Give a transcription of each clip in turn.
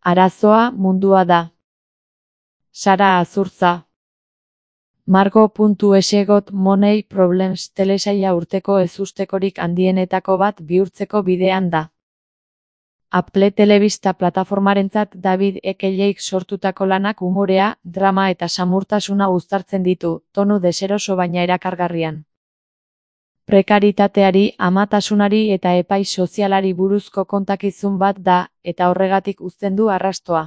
Arazoa mundua da. Sara Azurtza. Margo.es Got Money Problems telesaila urteko ezustekorik handienetako bat bihurtzeko bidean da. Apple Telebista plataformarentzat David Eckeleik sortutako lanak umorea, drama eta samurtasuna uztartzen ditu, tonu deseroso baina erakargarrian. Prekaritateari, amatasunari eta epai sozialari buruzko kontakizun bat da, eta horregatik uzten du arrastoa.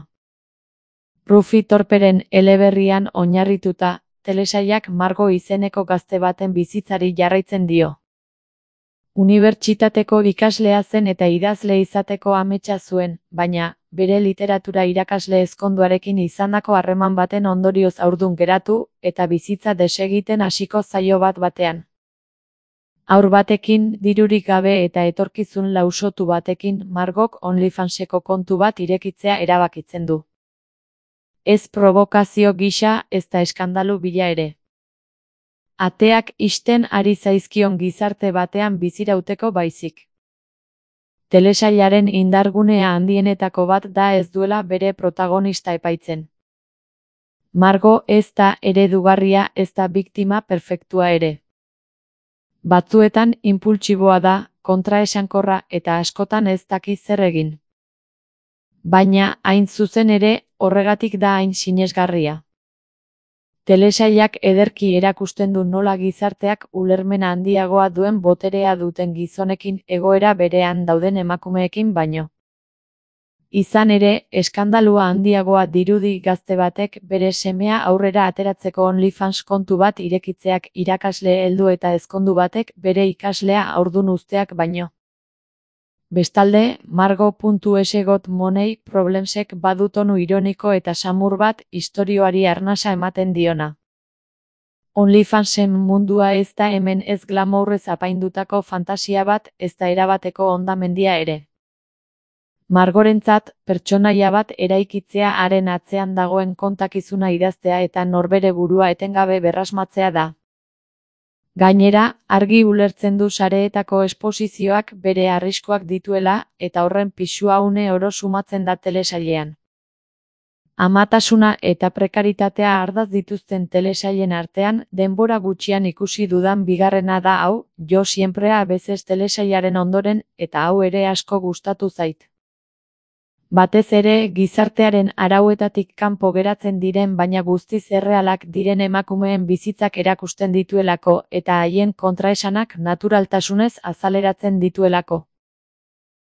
Rufi Torperen eleberrian oinarrituta, telesailak Margo izeneko gazte baten bizitzari jarraitzen dio. Unibertsitateko ikaslea zen eta idazle izateko ametsa zuen, baina, bere literatura irakasle ezkonduarekin izandako harreman baten ondorioz haurdun geratu, eta bizitza desegiten hasiko zaio bat-batean. Haur batekin, dirurik gabe eta etorkizun lausotu batekin, Margok OnlyFanseko kontu bat irekitzea erabakitzen du. Ez provokazio gisa, ezta eskandalu bila ere. Ateak ixten ari zaizkion gizarte batean bizirauteko baizik. Telesailaren indargunea handienetako bat da ez duela bere protagonista epaitzen. Margo ez da eredugarria, ez da biktima perfektua ere. Batzuetan inpultsiboa da, kontraesankorra eta askotan ez daki zer egin. Baina, hain zuzen ere, horregatik da hain sinesgarria. Telesailak ederki erakusten du nola gizarteak ulermena handiagoa duen boterea duten gizonekin egoera berean dauden emakumeekin baino. Izan ere, eskandalua handiagoa dirudi gazte batek bere semea aurrera ateratzeko OnlyFans kontu bat irekitzeak irakasle heldu eta ezkondu batek bere ikaslea haurdun uzteak baino. Bestalde, Margo.es Got Money Problemsek badu tonu ironiko eta samur bat istorioari arnasa ematen diona. OnlyFansen mundua ez da hemen ez glamourrez apaindutako fantasia bat, ez da erabateko hondamendia ere. Margorentzat, pertsonaia bat eraikitzea haren atzean dagoen kontakizuna idaztea eta norbere burua etengabe berrasmatzea da. Gainera, argi ulertzen du sareetako esposizioak bere arriskuak dituela, eta horren pisua une oro sumatzen da telesailean. Amatasuna eta prekaritatea ardatz dituzten telesailen artean, denbora gutxian ikusi dudan bigarrena da hau, Jo siempre a veces telesailaren ondoren, eta hau ere asko gustatu zait. Batez ere, gizartearen arauetatik kanpo geratzen diren baina guztiz errealak diren emakumeen bizitzak erakusten dituelako eta haien kontraesanak naturaltasunez azaleratzen dituelako.